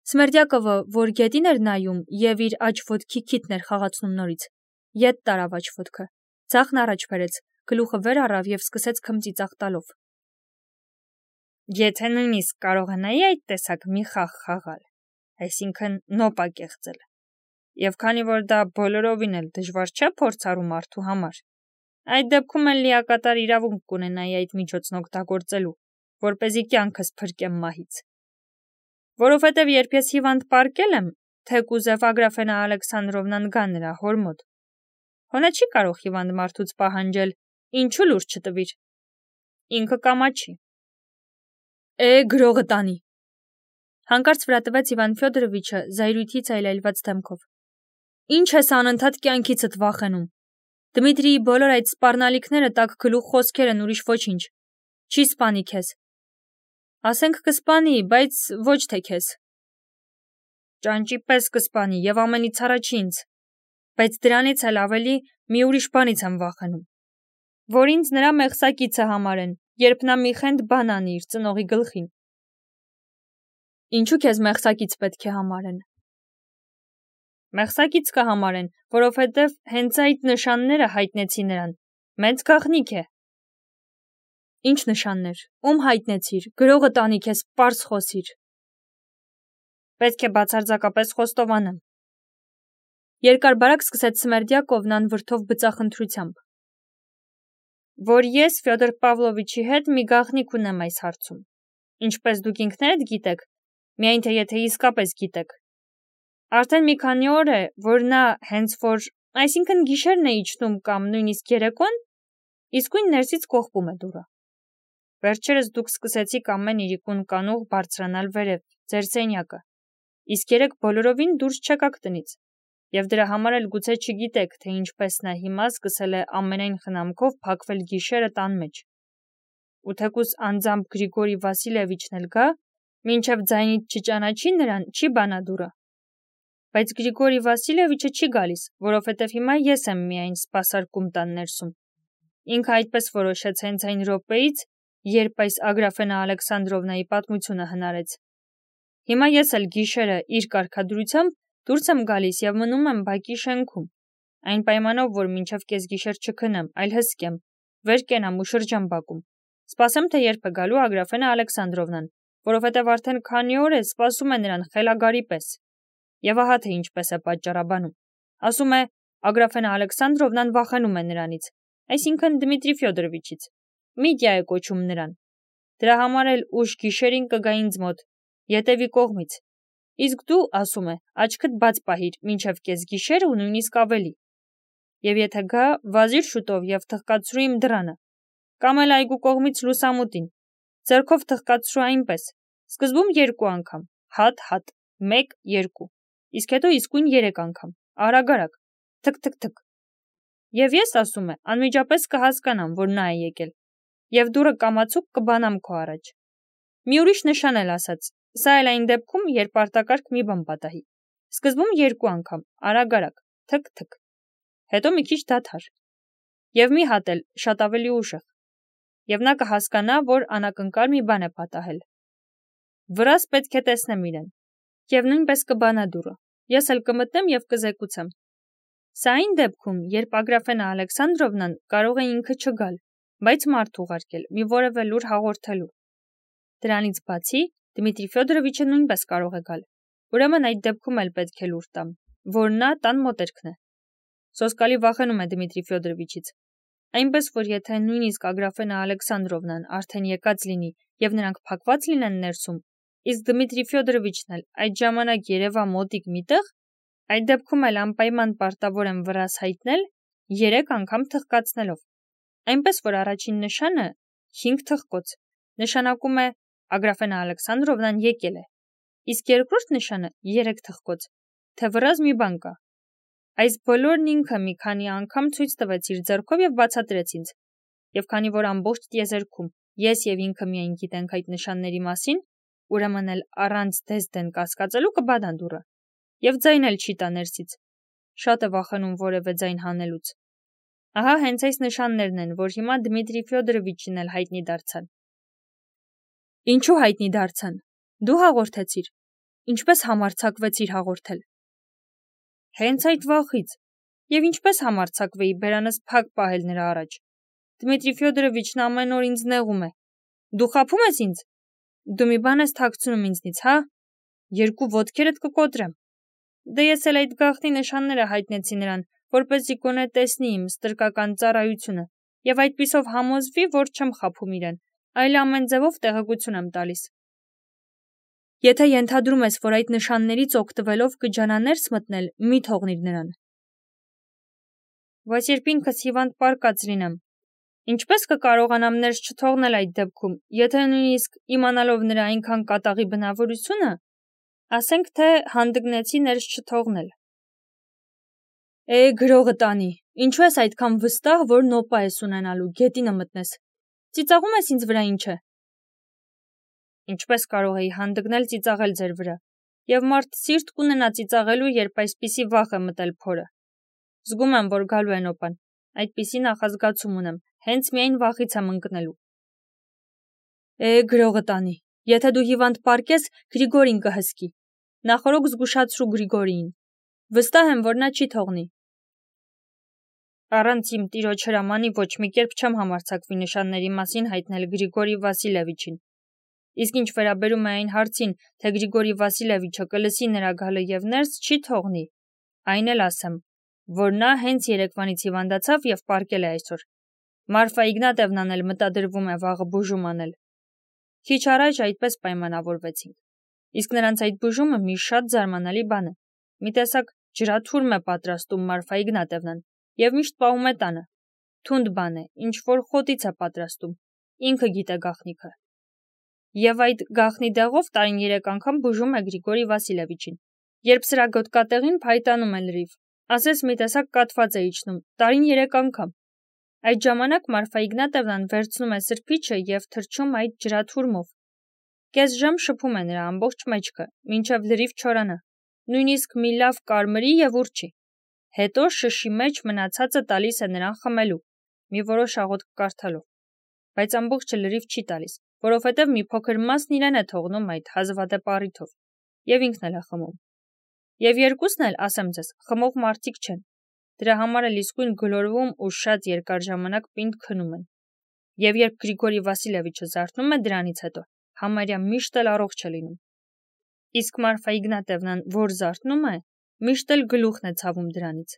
Սմերդյակովը, որ գետին էր նայում եւ իր աջ ոտքի քիթն էր խաղացնում նորից, ետ տարավ աջ ոտքը, ձախն առաջ բերեց, գլուխը վեր առավ եւ սկսեց քմծիծաղ տալով. Եթե նույնիսկ կարողանայի այդ տեսակ մի խաղ խաղալ, այսինքն նոպա կեղծել, եւ քանի որ դա բոլորովին էլ դժվար չէ փորձառու մարդու համար, այդ դեպքում էլ լիակատար իրավունք կունենայի այդ միջոցն օգտագործելու, որպեսզի կյանքս փրկեմ մահից։ Որովհետև երբ ես հիվանդ պարկել եմ, թեկուզև Ագրաֆենա Ալեքսանդրովնան գա նրա հոր մոտ, հոնա չի կարող հիվանդ մարդուց պահանջել, ինչու լուրջ չտվիր։ Ինքը կամաչի։ Գրողը տանի։ Հանկարծ վրա տվեց Իվան Ֆյոդորովիչը զայրույթից այլայլված դեմքով։ Ինչ ես անընդհատ կյանքիցդ վախենում։ Դմիտրիի բոլոր այդ սպառնալիքները տակ գլուխ խոսքեր են, ուրիշ ոչինչ։ Չի սպանի քեզ։ Ասենք կսպանի, բայց ոչ թե քեզ։ Ճանճի պես կսպանի եւ ամենից առաջ ինձ։ Բայց դրանից էլ ավելի մի ուրիշ բանից եմ վախենում, որ ինձ նրա մեղսակիցը համարեն, երբ նա մի խենթ բան անի իր ծնողի գլխին։ Ինչու քեզ մեղսակից պետք է համարեն։ Մեղսակից կհամարեն, որովհետև հենց այդ նշանները հայտնեցի նրան։ Մեծ գաղտնիք է։ Ինչ նշաններ, ում հայտնեցիր, գրողը տանի քեզ, պարզ խոսիր։ Պետք է բացարձակապես խոստովանեմ։ Երկար բարակ սկսեց Սմերդյակովն անվրդով բծախնդրությամբ, որ ես Ֆյոդոր Պավլովիչի հետ մի գաղտնիք ունեմ այս հարցում, ինչպես դուք ինքներդ գիտեք, միայն թե եթե իսկապես գիտեք։ Արդեն մի քանի օր է, որ նա հենց որ, այսինքն գիշերն է իջնում կամ նույնիսկ երեկոն, իսկույն ներսից կողպում է դուռը։ Վերջերս դուք սկսեցիք ամեն իրիկուն կանուղ բարձրանալ վերև, ձեր սենյակը, իսկ երեկ բոլորովին դուրս չեկաք տնից, եւ դրա համար էլ գուցե չգիտեք, թե ինչպես նա հիմա սկսել է ամենայն խնամքով փակվել գիշերը տան մեջ։ Ու թեկուզ անձամբ Գրիգորի Վասիլևիչն էլ գա, մինչև ձայնից չճանաչի նրան, չի բանա դուռը։ Բայց Գրիգորի Վասիլևիչը չի գալիս, որովհետև հիմա ես եմ միայն սպասարկում տան ներսում։ Ինքը այդպես որոշեց հենց այն րոպեից, երբ այս Ագրաֆենա Ալեքսանդրովնայի պատմությունը հնարեց։ Հիմա ես էլ գիշերը իր կարգադրությամբ դուրս եմ գալիս եւ մնում եմ բակի շենքում, այն պայմանով, որ մինչև կեսգիշեր չքնեմ, այլ հսկեմ, վեր կենամ ու շրջամ բակում։ Սպասեմ, թե երբ է գալու Ագրաֆենա Ալեքսանդրովնան, որովհետև արդեն քանի օր է սպասում է նրան խելագարի պես։ Եվ ահա թե ինչպես է պատճառաբանում։ Ասում է, Ագրաֆենա Ալեքսանդրովնան վախենում է նրանից, այսինքն Դմիտրի Ֆյոդորովիչից։ Միտյա է կոչում նրան։ Դրա համար էլ ուշ գիշերին կգա ինձ մոտ, ետևի կողմից։ Իսկ դու, ասում է, աչքդ բաց պահիր մինչև կեսգիշեր ու նույնիսկ ավելի։ Եվ եթե գա, վազիր շուտով եւ թխկացրու իմ դռանը, կամ էլ այգու կողմից լուսամուտին, ձեռքով թխկացրու այնպես, սկզբում 2 անգամ, հատ, 1, 2, իսկ հետո իսկույն 3 անգամ, արագ, թք։ Եվ ես, ասում է, անմիջապես կհասկանամ, որ նա է եկել, եւ դուռը կամացուկ կբանամ քո առաջ։ Մի ուրիշ նշան էլ ասաց, սա էլ այն դեպքում, երբ արտակարգ մի բան պատահի։ Սկզբում 2 անգամ, արագ, թք, հետո մի քիչ դադար։ Եվ մի հատ էլ, շատ ավելի ուժեղ։ Եվ նա կհասկանա, որ անակնկալ մի բան է պատահել։ Վրաս պետք է տեսնեմ իրեն։ Եվ նույնպես կբանա դուռը։ Ես էլ կմտնեմ եւ կզեկուցեմ։ Սա այն դեպքում, երբ Ագրաֆենա Ալեքսանդրովնան կարող է ինքը չգալ, բայց մարդ ուղարկել, մի որևէ լուր հաղորդելու։ Դրանից բացի, Դմիտրի Ֆյոդորովիչը նույնպես կարող է գալ։ Ուրեմն այդ դեպքում էլ պետք է լուր տամ, որ նա տան մոտերքն է։ Սոսկալի վախենում է Դմիտրի Ֆյոդորովիչից։ Այնպես որ եթե նույնիսկ Ագրաֆենա Ալեքսանդրովնան արդեն եկած լինի եւ նրանք փակված լինեն ներսում, իսկ Դմիտրի Ֆյոդորովիչն էլ այդ ժամանակ երևա մոտիկ միտեղ, այդ դեպքում էլ անպայման պարտավոր եմ վրաս հայտնել 3 անգամ թխկացնելով։ Այնպես որ առաջին նշանը 5 թխկոց նշանակում է Ագրաֆենա Ալեքսանդրովնան եկել է, իսկ երկրորդ նշանը 3 թխկոց, թե վրաս մի բան կա։ Այս բոլորն ինքը մի քանի անգամ ցույց տվեց իր ձեռքով եւ բացատրեց ինձ։ Եվ քանի որ ամբողջ տիեզերքում ես եւ ինքը միայն գիտենք այդ նշանների մասին, ուրեմն էլ առանց դեսդեն կասկածելու կբանա դուռը։ Եվ ձայն էլ չի տա ներսից։ Շատ է վախենում որևէ ձայն հանելուց։ Ահա հենց այս նշաններն են, որ հիմա Դմիտրի Ֆյոդորովիչին էլ հայտնի դարձան։ Ինչու հայտնի դարձան։ Դու հաղորդեցիր։ ինչպես համարձակվեցիր հաղորդել։ Հենց այդ վախից։ Եվ ինչպես համարձակվեի բերանս փակ պահել նրա առաջ։ Դմիտրի Ֆյոդորովիչն ամեն օր ինձ նեղում է։ Դու խաբում ես ինձ։ Դու մի բան ես թաքցնում ինձնից, հա։ Երկու ոտքերդ կկոտրեմ։ Դե ես էլ այդ գաղտնի նշանները հայտնեցի նրան, որպեսզի գոնե տեսնի իմ ստրկական ծառայությունը, եւ այդպիսով համոզվի, որ չեմ խաբում իրեն, այլ ամեն ձևով տեղեկություն եմ տալիս։ Եթե ենթադրում ես, որ այդ նշաններից օգտվելով կջանաներս մտնել, մի թողնիր նրան։ Բայց երբ ինքս հիվանդ պարկած լինեմ, ինչպես կկարողանամ ներս չթողնել այդ դեպքում, եթե նույնիսկ իմանալով նրա այնքան կատաղի բնավորությունը, ասենք թե հանդգնեցի ներս չթողնել։ Գրողը տանի, ինչու ես այդքան վստահ, որ նոպա ես ունենալու, գետինը մտնես։ Ծիծաղում ես ինձ վրա ինչ է։ Ինչպես կարող էի հանդգնել ծիծաղել ձեր վրա, եւ մարդ սիրտ կունենա ծիծաղելու, երբ այսպիսի վախ է մտել փորը։ Զգում եմ, որ գալու է նոպան, այդպիսի նախազգացում ունեմ, հենց միայն վախից եմ ընկնելու։ Գրողը տանի, եթե դու հիվանդ պարկես, Գրիգորին կհսկի։ Նախորոք զգուշացրու Գրիգորիին։ Վստահ եմ, որ նա չի թողնի։ Առանց իմ տիրոջ հրամանի ոչ մի կերպ չեմ համարձակվի նշանների մասին հայտնել Գրիգորի Վասիլևիչին։ Իսկ ինչ վերաբերում է այն հարցին, թե Գրիգորի Վասիլևիչը կլսի նրա գալը եւ ներս չի թողնի, այն էլ ասեմ, որ նա հենց երեկվանից հիվանդացավ եւ պարկել է այսօր։ Մարֆա Իգնատևնան էլ մտադրվում է վաղը բուժում անել։ Քիչ առաջ այդպես պայմանավորվեցինք։ Իսկ նրանց այդ բուժումը մի շատ զարմանալի բան է։ Մի տեսակ ջրաթուրմ է պատրաստում Մարֆա Իգնատևնան եւ միշտ պահում է տանը։ Թունդ բան է, ինչ որ խոտից է պատրաստում։ Ինքը գիտե գաղտնիքը։ Եվ այդ գաղտնի դեղով տարին 3 անգամ բուժում է Գրիգորի Վասիլևիչին։ Երբ սրա գոտկատեղին փայտանում է լրիվ, ասես մի տեսակ կաթված է իջնում, տարին 3 անգամ։ Այդ ժամանակ Մարֆա Իգնատևնան վերցնում է սրբիչը եւ թրջում այդ ջրաթուրմով։ Կես ժամ շփում է նրա ամբողջ մեջքը, մինչև լրիվ չորանա, նույնիսկ մի լավ կարմրի եւ ուրչի։ Հետո շշի մեջ մնացածը տալիս է նրան խմելու, մի որոշ աղոթք կարդալով։ Բայց ամբողջը լրիվ չի տալիս, որովհետև մի փոքր մասն իրեն է թողնում այդ հազվադեպ առիթով, եւ ինքն էլ է խմում։ Եվ երկուսն էլ, ասեմ ձեզ, խմող մարդիկ չեն։ Դրա համար էլ իսկույն գլորվում ու շատ երկար ժամանակ պինդ քնում են։ Եվ երբ Գրիգորի Վասիլևիչը զարթնում է դրանից հետո, համարյա միշտ էլ առողջ է լինում։ Իսկ Մարֆա Իգնատևնան, որ զարթնում է, միշտ էլ գլուխն է ցավում դրանից։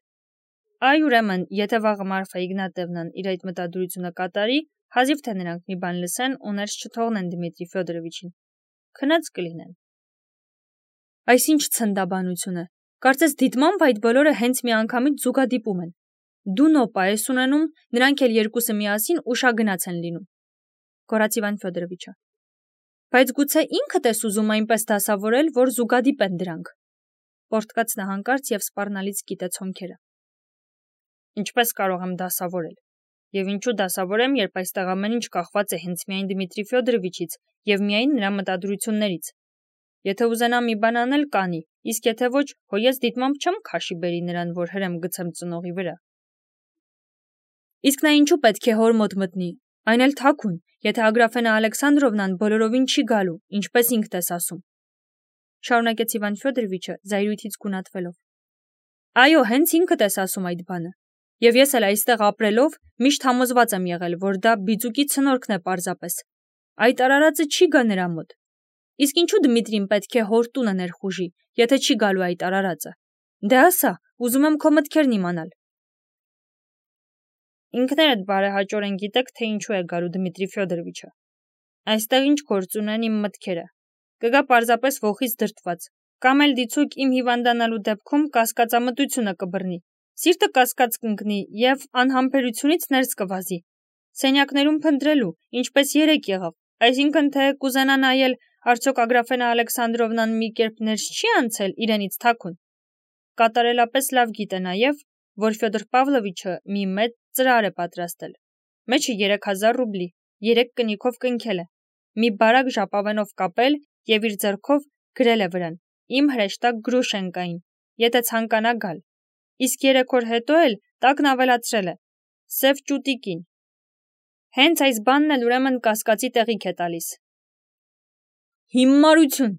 Այ ուրեմն, եթե վաղը Մարֆա Իգնատևնան իր այդ մտադրությունը կատարի, հազիվ թե նրանք մի բան լսեն ու ներս չթողնեն Դմիտրի Ֆյոդորովիչին։ Քնած կլինեն։ Այսինչ ցնդաբանություն է։ Կարծես դիտմամբ այդ բոլորը հենց մի անգամից զուգադիպում են։ Դու նոպա ես ունենում, նրանք էլ երկուսը միասին ուշագնաց են լինում։ Գոռաց Իվան Ֆյոդորովիչը։ Բայց գուցե ինքդ ես ուզում այնպես դասավորել, որ զուգադիպ են դրանք։ Պորտկաց նա հանկարծ եւ սպառնալից կիտեց հոնքերը։ Ինչպես կարող եմ դասավորել։ Եվ ինչու դասավորեմ, երբ այստեղ ամեն ինչ կախված է հենց միայն Դմիտրի Ֆյոդորովիչից եւ միայն նրա մտադրություններից։ Եթե ուզենա մի բան անել, կանի, իսկ եթե ոչ, հո ես դիտմամբ չեմ քաշի բերի նրան, որ հրեմ գցեմ ծնողի վրա։ Իսկ նա ինչու պետք է հոր մոտ մտնի, այն էլ թաքուն, եթե Ագրաֆենա Ալեքսանդրովնան բոլորովին չի գալու, ինչպես ինքդ ես ասում։ Շարունակեց Իվան Ֆյոդորովիչը զայրույթից գունատվելով։ Այո, հենց ինքդ ես ասում այդ բանը։ Եվ ես էլ այստեղ ապրելով միշտ համոզված եմ եղել, որ դա բիծուկի ցնորքն է պարզապես։ Այդ արարածը չի գա նրա մոտ։ Իսկ ինչու Դմիտրին պետք է հոր տունը ներխուժի, եթե չի գալու այդ արարածը։ Դե ասա, ուզում եմ քո մտքերն իմանալ։ Ինքներդ բարեհաճորեն գիտեք, թե ինչու է գալու Դմիտրի Ֆյոդորովիչը։ Այստեղ ինչ գործ ունեն իմ մտքերը։ Կգա պարզապես ոխից դրտված, կամ էլ դիցուկ իմ հիվանդանալու դեպքում կասկածամտությունը կբռնի։ Սիրտը կասկած կընկնի եւ անհամբերությունից ներս կվազի։ Սենյակներում փնտրելու, ինչպես երեք եղավ, այսինքն թե կուզենա նայել, արդյոք Ագրաֆենա Ալեքսանդրովնան մի կերպ ներս չի անցել իրենից թաքուն։ Կատարելապես լավ գիտե նաեւ, որ Ֆյոդոր Պավլովիչը մի մեծ ծրար է պատրաստել։ Մեջը 3000 ռուբլի, 3 կնիքով կնքել է։ Մի բարակ ժապավենով կապել եւ իր ձեռքով գրել է վրան. Իմ հրեշտակ Գրուշենկային, եթե ցանկանա գալ։ Իսկ 3 օր հետո էլ տակն ավելացրել է. Սև ճուտիկին։ Հենց այս բանն էլ ուրեմն կասկածի տեղիք է տալիս։ Հիմարություն։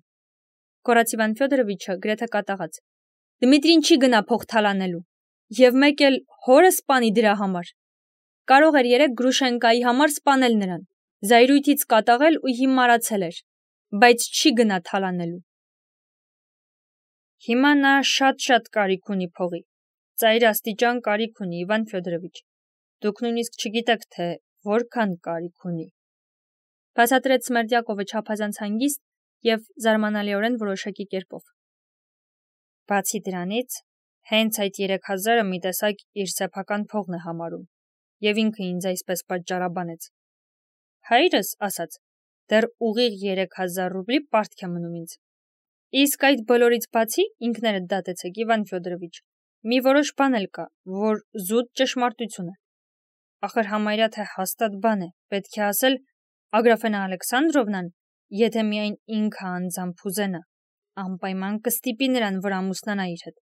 Կորած Իվան Ֆյոդորովիչը գրեթե կատաղած։ Դմիտրին չի գնա փող թալանելու, եւ մեկ էլ հորը սպանի դրա համար։ Կարող էր երեք Գրուշենկայի համար սպանել նրան, զայրույթից կատաղել ու հիմարացել էր, բայց չի գնա թալանելու։ Հիմա նա շատ կարիք ունի փողի, ծայր աստիճան կարիք ունի Իվան Ֆյոդորովիչ։ Դուք նույնիսկ չգիտեք, թե որքան կարիք ունի։ Բացատրեց Սմերդյակովը չափազանց հանգիստ եւ զարմանալիորեն որոշակի կերպով։ Բացի դրանից, հենց այդ 3000-ը մի տեսակ իր սեփական փողն է համարում, եւ ինքը ինձ այսպես պատճառաբանեց։ Հայրս ասաց, դեռ ուղիղ 3000 ռուբլի պարտք է մնում ինձ։ Իսկ այդ բոլորից բացի ինքներդ դատեցեք Իվան Ֆյոդորովիչ, մի որոշ բան էլ կա, որ զուտ ճշմարտություն է։ Ախր համարյա թե հաստատ բան է, պետք է ասել Ագրաֆենա Ալեքսանդրովնան, եթե միայն ինքը անձամբ ուզենա, անպայման կստիպի նրան, որ ամուսնանա իր հետ։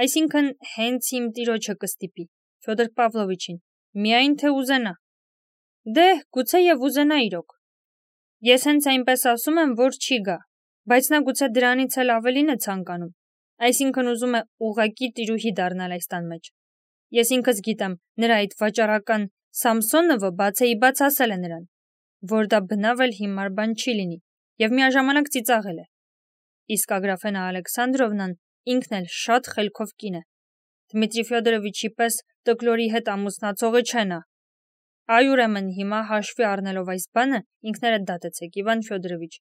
Այսինքն հենց իմ տիրոջը կստիպի, Ֆյոդոր Պավլովիչին, միայն թե ուզենա։ Դե, գուցե եւ ուզենա իրոք։ Ես հենց այնպես ասում եմ, որ չի գա, բայց նա գուցե դրանից էլ ավելին է ցանկանում, այսինքն ուզում է ուղղակի տիրուհի դառնալ այս տան մեջ։ Ես ինքս գիտեմ, նրա այդ վաճառական Սամսոնովը բացեիբաց ասել է նրան, որ դա բնավ էլ հիմար բան չի լինի, եւ միաժամանակ ծիծաղել է։ Իսկ Ագրաֆենա Ալեքսանդրովնան ինքն էլ շատ խելքով կին է։ Դմիտրի Ֆյոդորովիչի պես տկլորի հետ ամուսնացողը չէ նա։ Այ ուրեմն հիմա հաշվի առնելով այս բանը, ինքներդ դատեցեք Իվան Ֆյոդորովիչ,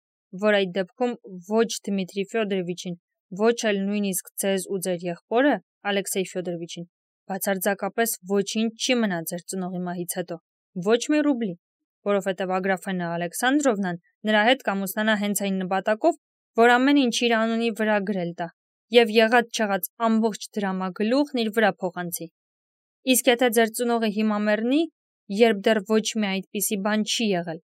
որ այդ դեպքում ոչ Դմիտրի Ֆյոդորովիչին, ոչ էլ նույնիսկ ձեզ ու ձեր եղբորը Ալեքսեյ Ֆյոդորովիչին բացարձակապես ոչինչ չի մնա ձեր ծնողի մահից հետո, ոչ մի ռուբլի, որովհետև Ագրաֆենա Ալեքսանդրովնան նրա հետ կամուսնանա հենց այն նպատակով, որ ամեն ինչ իր անունի վրա գրել տա եւ եղած-չեղած ամբողջ դրամագլուխն իր վրա փոխանցի։ Իսկ եթե ձեր ծնողը հիմա մեռնի, երբ դեռ ոչ մի այդպիսի բան չի եղել,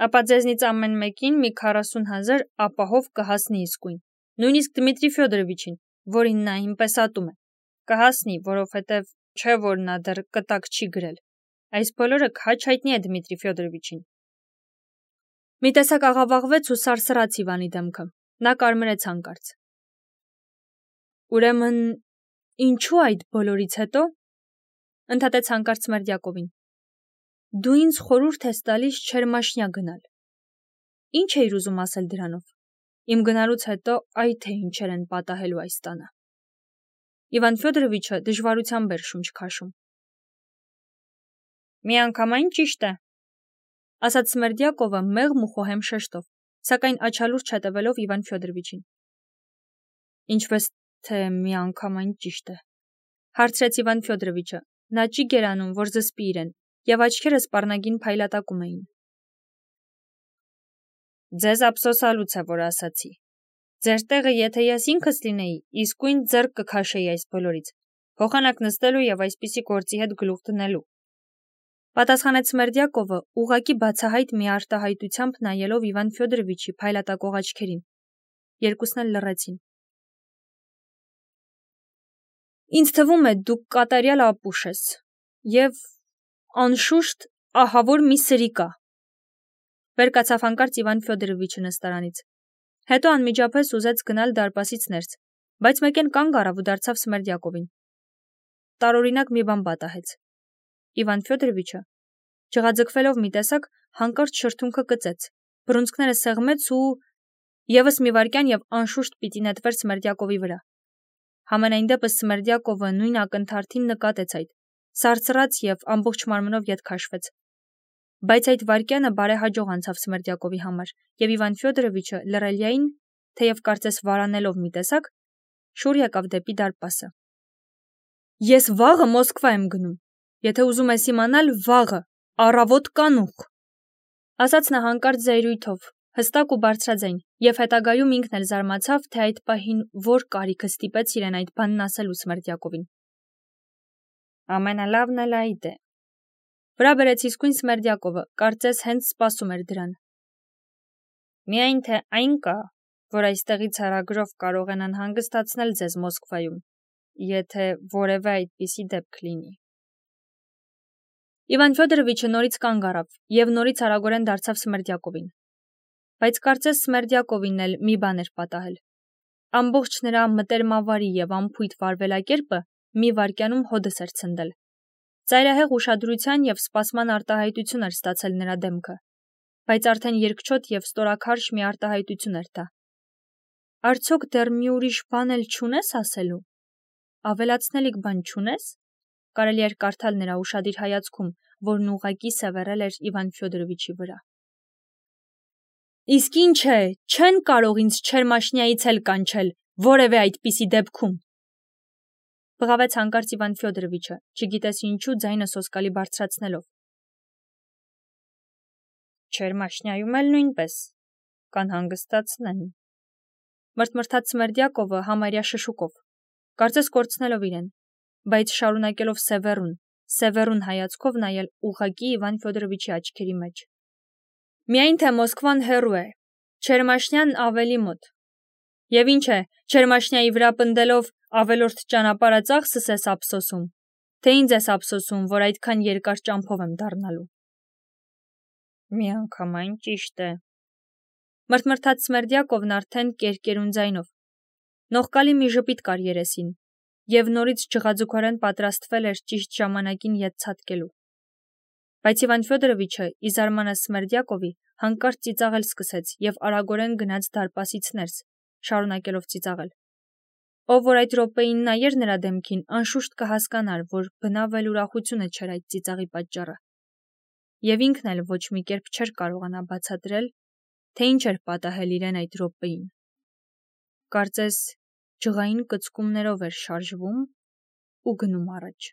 ապա ձեզնից ամեն մեկին մի 40,000 ապահով կհասնի իսկույն, նույնիսկ Դմիտրի Ֆյոդորովիչին, որին նա այնպես ատում է, կհասնի, որովհետև չէ որ նա դեռ կտակ չի գրել։ Այս բոլորը քաչ հայտնի է Դմիտրի Ֆյոդորովիչին։ Մի տեսակ աղավաղվեց ու սարսռաց Իվանի դեմքը։ Նա կարմրեց հանկարծ։ Ուրեմն ինչու այդ բոլորից հետո ընդհատեց հանկարծ Սմերդյակովին։ Դու ինձ խորհուրդ ես տալիս Չերմաշնյա գնալ։ Ինչ էիր ուզում ասել դրանով։ Իմ գնալուց հետո այ թե ինչեր են պատահելու այս տանը։ Իվան Ֆյոդորովիչը դժվարությամբ էր շունչ քաշում։ Միանգամայն ճիշտ է, ասաց Սմերդյակովը մեղմ ու խոհեմ շեշտով, սակայն աչալուրջ հետևելով Իվան Ֆյոդորովիչին։ Ինչպես թե միանգամայն ճիշտ է, հարցրեց Իվան Ֆյոդորովիչը, նա չի գերանում, որ զսպի իրեն, եւ աչքերը սպառնագին փայլատակում էին։ Ձեզ ափսոսալուց է, որ ասացի։ Ձեր տեղը եթե ես ինքս լինեի, իսկույն ձեռք կքաշեի այս բոլորից, փոխանակ նստելու եւ այսպիսի գործի հետ գլուխ դնելու։ Պատասխանեց Սմերդյակովը, ուղղակի բացահայտ մի արտահայտությամբ նայելով Իվան Ֆյոդորովիչի փայլատակող աչքերին։ Երկուսն էլ լռեցին։ Ինձ թվում է դուք կատարյալ ապուշ ես եւ անշուշտ ահավոր մի սրի կա։ Վերկացավ հանկարծ Իվան Ֆյոդորովիչը նստարանից։ Հետո անմիջապես ուզեց գնալ դարպասից ներս, բայց մեկեն կանգ առավ ու դարձավ Սմերդյակովին։ Տարօրինակ մի բան պատահեց։ Իվան Ֆյոդորովիչը ջղաձգվելով մի տեսակ հանկարծ շրթունքը կծեց, բռունցքները սեղմեց ու եւս մի վայրկյան եւ անշուշտ պիտի նետվեր Սմերդյակովի վրա։ Համենայն դեպս Սմերդյակովը նույն ակնթարթին նկատեց այդ, սարսռաց եւ ամբողջ մարմնով ետ քաշվեց։ Բայց այդ վայրկյանը բարեհաջող անցավ Սմերդյակովի համար, եւ Իվան Ֆյոդորովիչը լռելիային, թեև կարծես վարանելով մի տեսակ, շուռ եկավ դեպի դարպասը։ Ես վաղը Մոսկվա եմ գնում, եթե ուզում ես իմանալ վաղը, առավոտ կանուխ, ասաց նա հանկարծ զայրույթով, հստակ ու բարձրաձայն, եւ հետագայում ինքն էլ զարմացավ, թե այդ պահին որ կարիքը ստիպեց իրեն այդ բանն ասելու Սմերդյակովին։ Ամենալավն էլ այդ է։ Վրա բերեց իսկույն Սմերդյակովը, կարծես հենց սպասում էր դրան։ Միայն թե այն կա, որ այստեղից հեռագրով կարող են անհանգստացնել ձեզ Մոսկվայում, եթե որևէ այդպիսի դեպք լինի։ Իվան Ֆյոդորովիչը նորից կանգ առավ եւ նորից արագորեն դարձավ Սմերդյակովին։ Բայց կարծես Սմերդյակովին էլ մի բան էր պատահել։ Ամբողջ նրա մտերմավարի եւ անփույթ վարվելակերպը մի վայրկյանում հոդս էր ցնդել։ Ծայրահեղ ուշադրության եւ սպասման արտահայտություն էր ստացել նրա դեմքը, բայց արդեն երկչոտ եւ ստորաքարշ մի արտահայտություն էր դա։ Արդյոք դեռ մի ուրիշ բան էլ չունես ասելու։ Ավելացնելիք բան չունես։ Կարելի էր կարդալ նրա ուշադիր հայացքում, որն ուղղակի սևեռել էր Իվան Ֆյոդորովիչի վրա։ Իսկ ինչ է, չեն կարող ինձ Չերմաշնիայից էլ կանչել, որևէ այդպիսի դեպքում։ Բղավեց հանկարծ Իվան Ֆյոդորովիչը, չգիտես ինչու ձայնը սոսկալի բարձրացնելով։ Չերմաշնիայում էլ նույնպես կանհանգստացնեն։ Մրթմրթաց Սմերդյակովը համարյա շշուկով, կարծես կորցնելով իրեն, բայց շարունակելով սևեռուն հայացքով նայել ուղղակի Իվան Ֆյոդորովիչի աչքերի մեջ։ Միայն թե Մոսկվան հեռու է, Չերմաշնյան ավելի մոտ։ Եվ ինչ է, Չերմաշնյայի վրա պնդելով ավելորդ ճանապարհածախսս ես ափսոսում, թե ինձ ես ափսոսում, որ այդքան երկար ճամփով եմ դառնալու։ Միանգամայն ճիշտ է։ Մրթմրթաց Սմերդյակովն արդեն կերկերուն ձայնով։ Նողկալի մի ժպիտ կար երեսին, եւ նորից ջղաձուկորեն պատրաստվել էր ճիշտ ժամանակին ետ ցատկելու։ Բայց Իվան Ֆյոդորովիչը, ի զարմանս Սմերդյակովի, հանկարծ ծիծաղել սկսեց եւ արագորեն գնաց դարպասից ներս, շարունակելով ծիծաղել։ Ով որ այդ րոպեին նայեր նրա դեմքին, անշուշտ կհասկանար, որ բնավ էլ ուրախությունը չէր այդ ծիծաղի պատճառը։ Եվ ինքն էլ ոչ մի կերպ չէր կարողանա բացատրել, թե ինչ էր պատահել իրեն այդ րոպեին։ Կարծես ջղային կծկումներով էր շարժվում ու գնում առաջ։